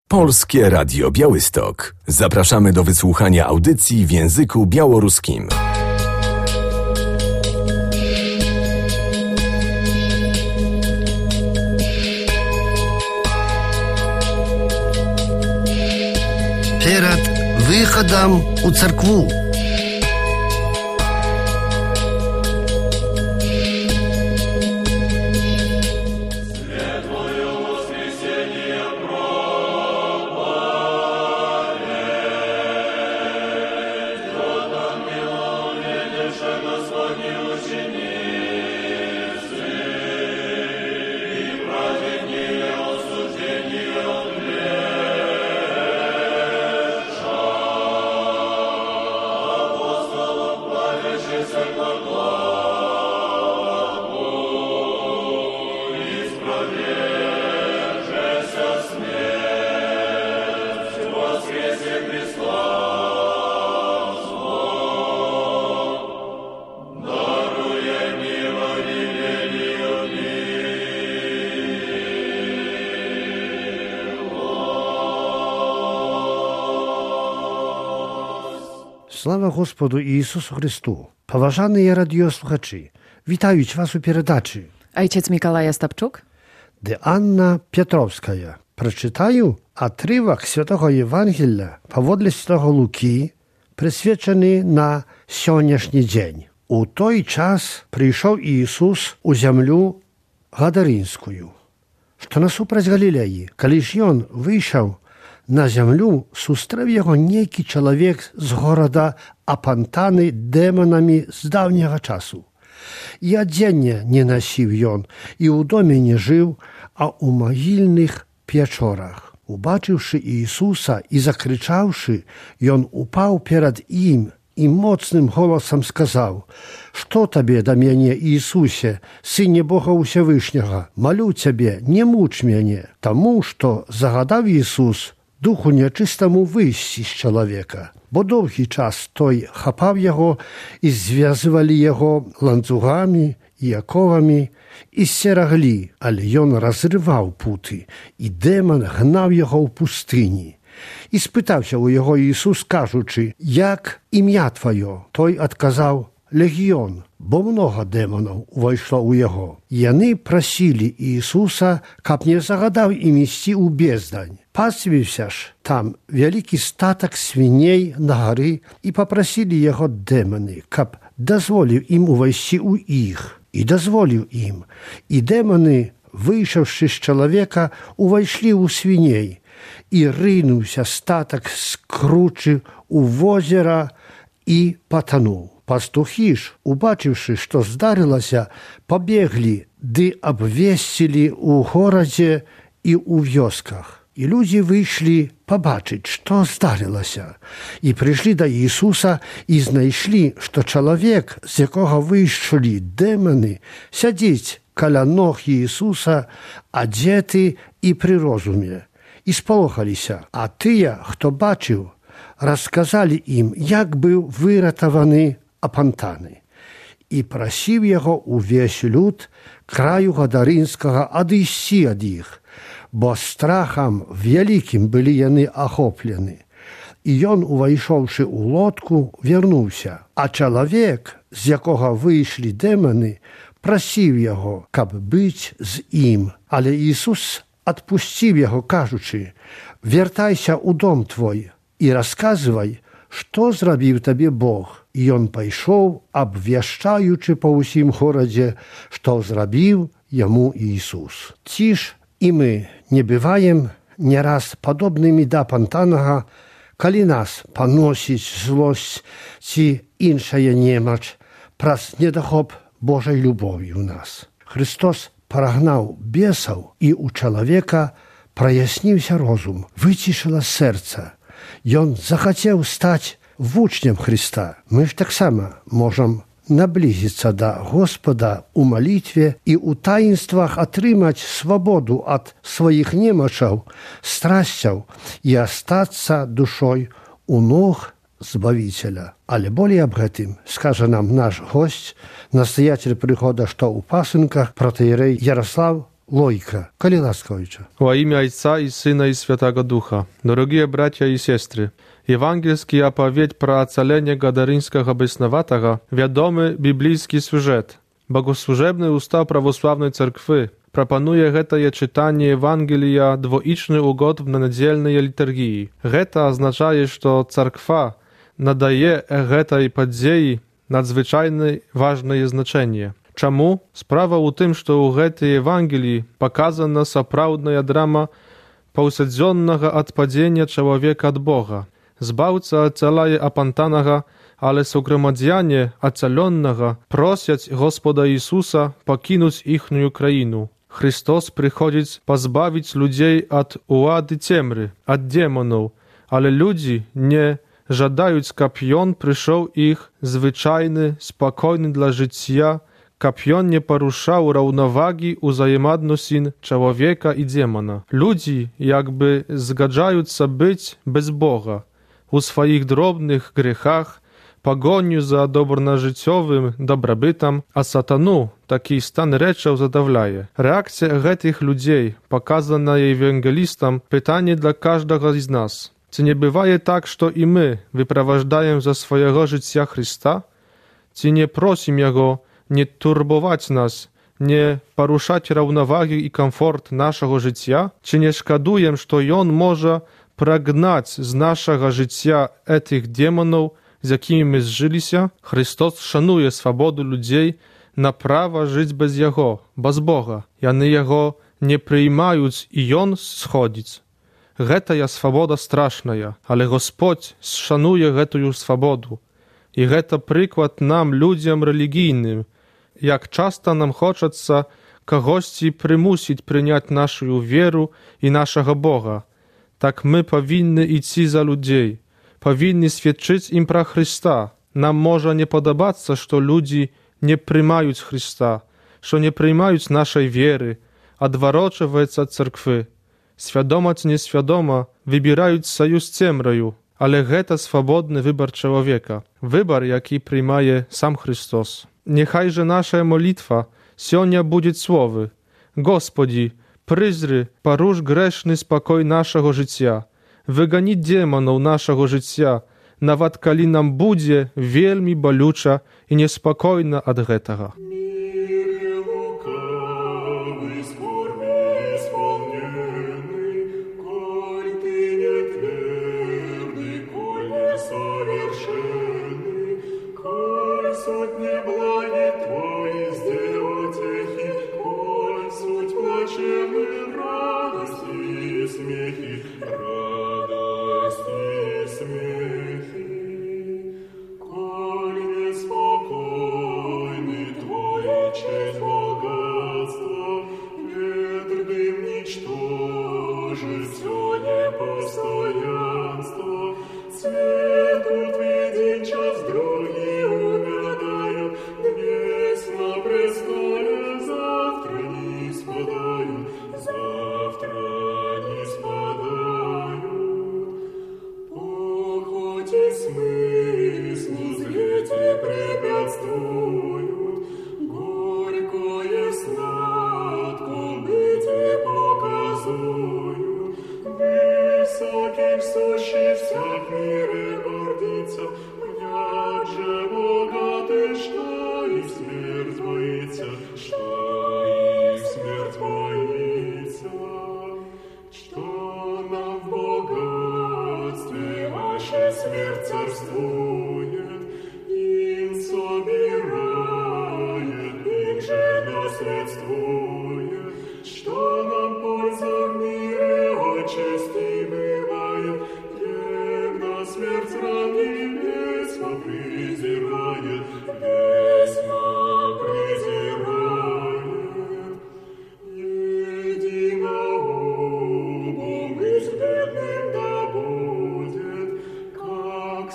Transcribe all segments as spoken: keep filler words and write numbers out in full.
Polskie Radio Białystok. Zapraszamy do wysłuchania audycji w języku białoruskim. Перед выходом у церкву. Слава Господу Ісусу Христу! Поважані радіослухачі, вітають вас у передачі. Ojciec Mikołaj Ostapczuk, де Анна Петровська. Прочитаю отрывок Святого Євангелія поводле Святого Луки, присвячений на сьогоднішній день. У той час прийшов Ісус у землю Гадаринську, що насупраць Галілеї. Коли ж Ён вийшов на землю, сустрэў яго нейкі чалавек з горада, апантаны дэманамі з даўняга часу. І адзення не насіў ён, і ў доме не жыў, а ў магільных пячорах. Убачыўшы Іісуса і закрычаўшы, ён упаў перад ім і моцным голасам сказаў: «Што табе да мяне, Іісусе, Сыне Бога Усявышняга? Малю цябе, не муч мяне». Таму што загадаў Ісус духу нячыстаму выйсці з чалавека, бо доўгі час той хапаў яго і звязвалі яго ланцугамі і аковамі і сцераглі, але ён разрываў путы, і дэман гнаў яго ў пустыні. І спытаўся ў яго Ісус, кажучы: «Як імя тваё?» Той адказаў: «Легіён», бо многа дэманаў увайшло ў яго. Яны прасілі Ісуса, каб не загадаў ім ісці ў бездань. Пасвіўся ж там вялікі статак свіней на гары, і папрасілі яго дэманы, каб дазволіў ім увайсці ў іх. І дазволіў ім. І дэманы, выйшаўшы з чалавека, увайшлі ў свіней. І рынуўся статак з кручы ў возера і патануў. Пастухі ж, убачыўшы, што здарылася, пабеглі ды абвесцілі ў горадзе і ў вёсках. І людзі выйшлі пабачыць, што здарылася. І прыйшлі да Ісуса і знайшлі, што чалавек, з якога выйшлі дэманы, сядзіць каля ног Ісуса, адзеты і пры розуме. І спалохаліся, а тыя, хто бачыў, расказалі ім, як быў выратаваны апантаны. І прасіў яго увесь люд краю Гадарынскага адысці ад іх, бо страхам вялікім былі яны ахоплены. І ён, увайшоўшы ў лодку, вярнуўся, а чалавек, з якога выйшлі дэманы, прасіў яго, каб быць з ім. Але Ісус адпусціў яго, кажучы: «Вяртайся ў дом твой і расказвай, што зрабіў табе Бог». І ён пайшоў, абвяшчаючы па ўсім горадзе, што зрабіў яму Ісус. Ці ж і мы не бываем не раз падобнымі да апантанага, калі нас паносіць злосць ці іншая немач праз недахоп Божай любові ў нас. Христос парагнаў бесаў, і ў чалавека праясніўся розум, выцішыла сэрца. Ён захацеў стаць вучнем Христа. Мы ж таксама можам наблизіцца да Господа ў малітве і ў таінствах атрымаць свабоду ад сваіх немачаў, страсцяў і астацца душой у ног Збавителя. Але болей аб гэтым скажа нам наш госць, настоятель прыхода што ў пасынках, протоіерей Ярослав Лойка, коли ласковича. Во имя Отца и Сына и Святого Духа. Дорогие братья и сестры, евангельский оповедь про оцаление Гадаринского бесноватого вядомы библейский сюжет. Богослужебный устав православной церкви пропонує гэтае чытанне Евангелия двоічны угод на нядзельныя літургіі. Гэта азначае, што царква надае гэтай падзеі надзвычайна важнае значэнне. Чаму? Справа ў тым, што ў гэтай Евангеліі паказана сапраўдная драма паўсядзённага адпадзення чалавека ад Бога. Збаўца ацалае апантанага, але суграмадзяне ацалённага просяць Господа Ісуса пакінуць іхнюю краіну. Христос прыходзіць пазбавіць людзей ад улады цемры, ад демонаў, але людзі не жадаюць, каб ён прыйшоў іх звычайны, спакойны для жыцця, каб ён не парушаў раўнавагі ўзаемадносін чалавека і демона. Людзі як бы згаджаюцца быць без Бога у сваіх дробных грехах, пагоню за добранажыццёвым дабрабытам, а сатану такі стан рэчаў задаўляе. Рэакцыя гэтых людзей, паказаная евангелістам, пытанне для каждага з нас. Ці не бывае так, што і мы выправаждаем за свайго жыцця Христа? Ці не просім Яго не турбоваць нас, не парушаць раўнавагі і камфорт нашага жыцця? Ці не шкадуем, што Ён можа прагнаць з нашага жыцця этих демонаў, з якімі мы зжыліся? Христос шануе свабоду людзей на права жыць без Яго, без Бога. Яны Яго не прыймаюць, і Ён сходзіць. Гэтая свабода страшная, але Господь шануе гэтую свабоду. І гэта прыклад нам, людзям рэлігійным, як часта нам хочацца кагосьці прымусіць прыняць нашу веру і нашага Бога. Так мы павінны ісці за людзей, павінны сведчыць ім пра Христа. Нам можа не падабацца, што людзі не прымаюць Христа, што не прымаюць нашай веры, адварочваюцца ад царквы. Свядома ці несвядома выбіраюць саюз з цемраю, але гэта свабодны выбар чалавека, выбар, які прымае сам Христос. Niechaj, że nasza molitwa sionia będzie słowy: Gospodzi, pryzry, parusz grzeszny spokój naszego życia, wygani demonów naszego życia, nawet kali nam będzie wielmi bolюча i niespokojna od tego.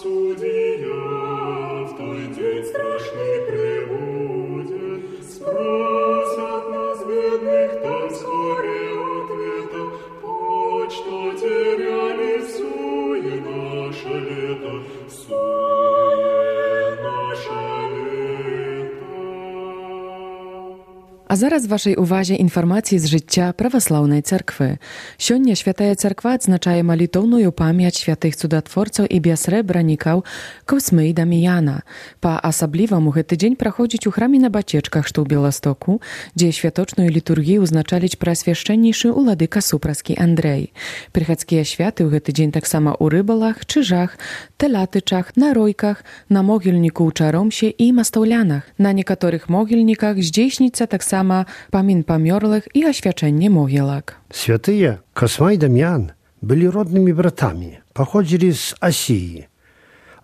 Судья А зараз вашай увазе інфармацыі з жыцця праваслаўнай царквы. Сёння святая царква адзначае малітоўную памяць святых цудатворцаў і бясрэбранікаў Космы і Даміяна. Па-асабліваму гэты дзень праходзіць у храме на Бацечках, што ў Беластоку, дзе святочную літургію ўзначаліць праасвяшчэннейшы уладыка Супраскі Андрэй. Прыхадскія святы ў гэты дзень таксама ў рыбалах, чыжах, тэлятычах, на ройках, на могільніку ў Чаромсе і мастаўлянах. На некаторых могільніках здзейсніцца таксама Сама памін памёрлых і асвячэнне могілак. Святыя Косма і Дам'ян былі роднымі братамі, паходзілі з Асіі.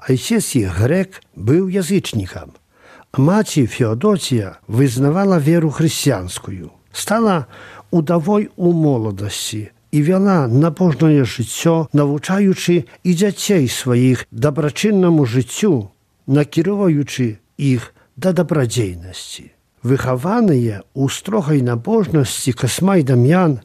Айцец іх грэк быў язычнікам, а маці Феодосія вызнавала веру хрысціянскую. Стала удавой у моладасці і вяла набожнае жыццё, навучаючы і дзяцей сваіх дабрачыннаму жыццю, накіроўваючы іх да дабрадзейнасці. Выхаваныя ў строгай набожнасці Косма і Дам'ян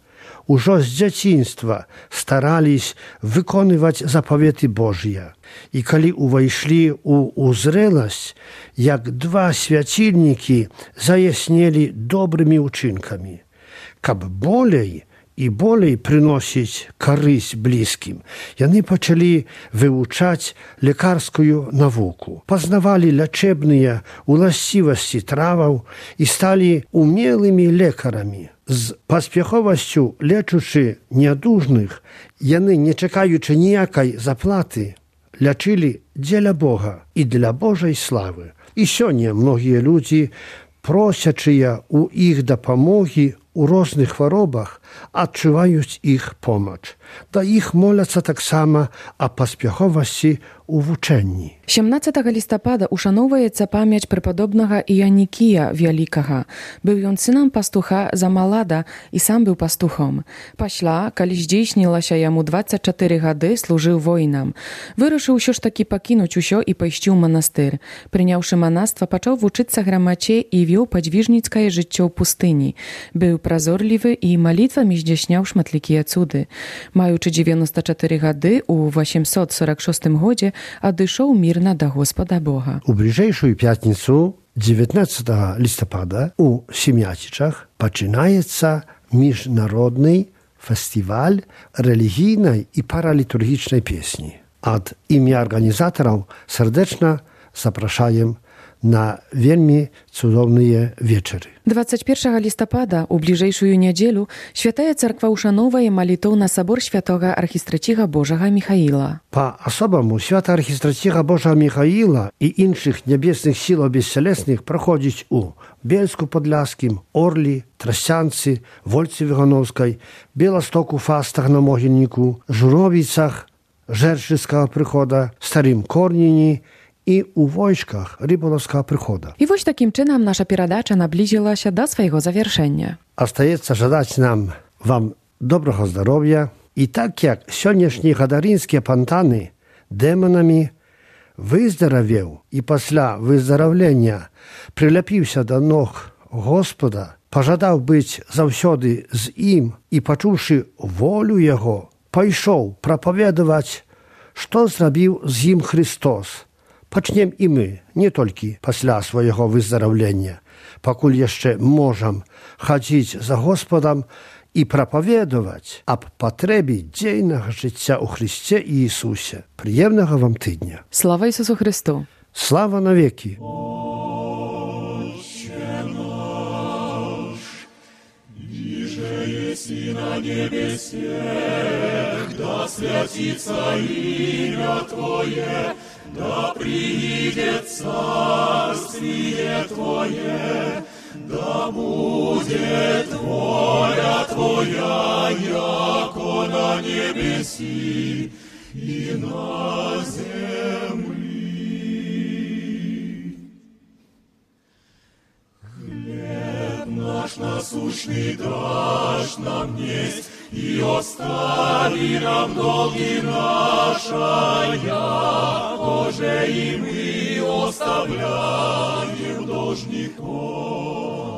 ужо з дзяцінства старались выконваць запаветы Божыя. І калі увайшлі ў узрэласць, як два свяцільнікі заяснелі добрымі ўчынкамі, каб болей і болей прыносіць карысць блізкім, яны пачалі вывучаць лекарскую навуку, пазнавалі лячэбныя уласцівасці траваў і сталі умелымі лекарамі. З паспяховасцю лечучы нядужных, яны, не чакаючы ніякай заплаты, лячылі дзеля Бога і для Божай славы. І сёння многія людзі, просячыя ў іх дапамогі у розных хваробах, адчуваюць іх помач. Да іх моляцца таксама а паспяховасці у вучэнні. сямнаццатага лістапада ушаноўваецца памяць препадобнага Іанікія Вялікага. Быў ён сынам пастуха Замалада і сам быў пастухом. Пасля, калі здзейснілася яму дваццаць чатыры гады, служыў воінам. Вырашыў усё ж такі пакінуць усё і пайсці ў манастыр. Прыняўшы манаства, пачаў вучыцца грамаце і вёў падвіжніцкае жыццё ў пустыні. Быў празорлівы і малітвамі здзяйсняў шматлікія цуды. Маючы дзевяноста чатыры гады, у васемсот сорок шостым годзе адышоў мірна да Господа Бога. У бліжэйшую пятніцу дзевятнаццатага лістапада у Семяцічах пачынаецца міжнародны фестываль рэлігійнай і паралітургічнай песні. Ад імя арганізатараў сардэчна запрашаем на вельмі цудоўныя вечары. дваццаць першага лістапада у бліжэйшую нядзелю святая царква ушаноўвае малітоўна сабор святога архістраціга Божага Міхаіла. Па-асобаму свята архістраціга Божага Міхаіла і іншых нябесных сілаў бесцялесных праходзіць у Бельску-Падляскім, Орлі, Трасянцы, Вольцы Вігановскай, Беластоку, Фастах на Могільніку, Журовіцах, Жэрчыцкага прыхода, Старым Корніні і ў войсках Рыбалаўскага прыхода. І вось такім чынам наша перадача наблізілася да свайго завяршэння. Астаецца жадаць нам вам добрага здароўя і так як сённяшнія гадарынскія пантаны дэманамі выздаравеў і пасля выздараўлення прыляпіўся да ног Господа, пажадаў быць заўсёды з ім і, пачуўшы волю яго, пайшоў прапаведаваць, што зрабіў з ім Христос. Пачнем і мы, не толькі пасля свайго выздараўлення, пакуль яшчэ можам хадзіць за Господам і прапаведаваць аб патрэбе дзейнага жыцця ў Хрысце і Ісусе. Прыемнага вам тыдня. Слава Ісусу Христу! Слава навекі! Еси на небесех, да святится имя Твое, да приидет царствие Твое, да будет воля Твоя, яко на небеси и на земли. Хлеб наш насущный дашь нам несть, и остави нам долги наши, яко же и мы оставляем должников.